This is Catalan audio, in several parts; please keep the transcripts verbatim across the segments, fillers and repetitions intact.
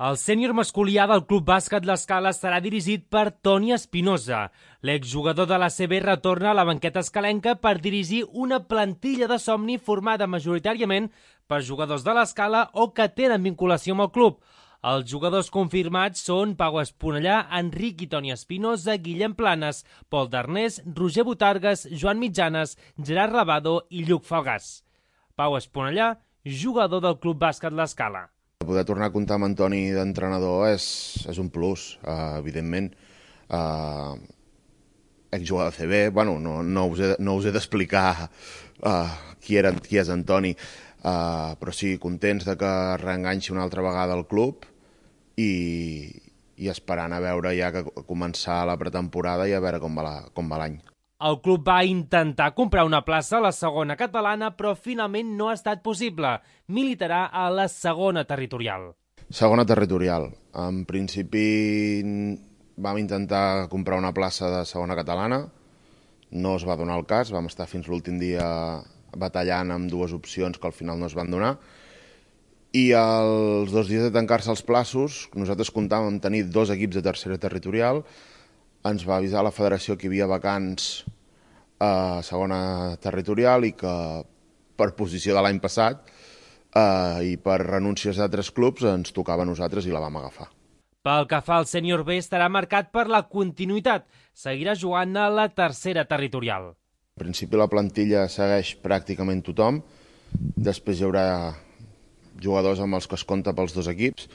El sènior masculí A del Club Bàsquet L'Escala serà dirigit per Toni Espinosa. L'exjugador de l'A C B retorna a la banqueta escalenca per dirigir una plantilla de somni formada majoritàriament per jugadors de l'Escala o que tenen vinculació amb el club. Els jugadors confirmats són Pau Esponellà, Enric i Toni Espinosa, Guillem Planes, Pol Darnés, Roger Botargues, Joan Mitjanes, Gerard Rabado i Lluc Falgàs. Pau Esponellà, jugador del Club Bàsquet L'Escala. Poder tornar a comptar amb Antoni d'entrenador és, és un plus, uh, evidentment. Uh, exjugador de C B, bueno, no, no us he, no us he d'explicar uh, qui, era, qui és Antoni, uh, però sí, contents de que reenganxi una altra vegada al club i, i esperant a veure ja que començar la pretemporada i a veure com va la, com va l'any. El club va intentar comprar una plaça a la segona catalana, però finalment no ha estat possible. Militarà a la segona territorial. Segona territorial. En principi vam intentar comprar una plaça de segona catalana. No es va donar el cas. Vam estar fins l'últim dia batallant amb dues opcions que al final no es van donar. I els dos dies de tancar-se els plaços, nosaltres comptàvem tenir dos equips de tercera territorial. Ens va avisar la federació que hi havia vacants a segona territorial i que per posició de l'any passat eh, i per renúncies d'altres clubs ens tocava a nosaltres i la vam agafar. Pel que fa al sènior B estarà marcat per la continuïtat. Seguirà jugant a la tercera territorial. En principi la plantilla segueix pràcticament tothom. Després hi haurà jugadors amb els que es compta pels dos equips,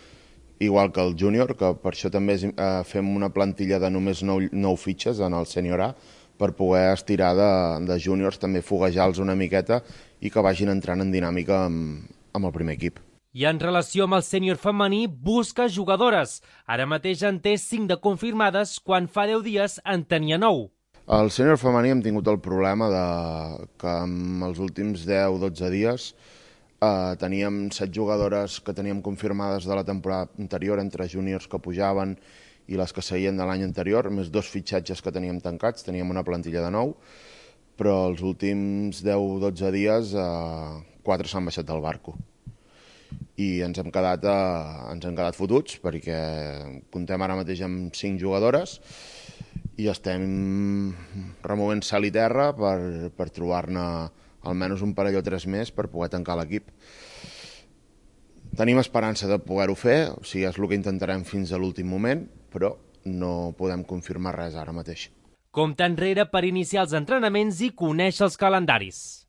igual que el júnior, que per això també eh, fem una plantilla de només nou, nou fitxes en el sènior A, per poder estirar de, de júniors, també foguejar-los una miqueta i que vagin entrant en dinàmica amb, amb el primer equip. I en relació amb el sènior femení, busca jugadores. Ara mateix en té cinc de confirmades, quan fa deu dies en tenia nou. Al sènior femení hem tingut el problema de que en els últims deu o dotze dies Uh, teníem set jugadores que teníem confirmades de la temporada anterior, entre júniors que pujaven i les que seguien de l'any anterior, més dos fitxatges que teníem tancats, teníem una plantilla de nou, però els últims deu o dotze dies uh, quatre s'han baixat del barco. I ens hem quedat, uh, ens hem quedat fotuts perquè comptem ara mateix amb cinc jugadores i estem removent sal i terra per, per trobar-ne almenys un parell o tres més per poder tancar l'equip. Tenim esperança de poder-ho fer, o sigui, és el que intentarem fins a l'últim moment, però no podem confirmar res ara mateix. Compte enrere per iniciar els entrenaments i conèixer els calendaris.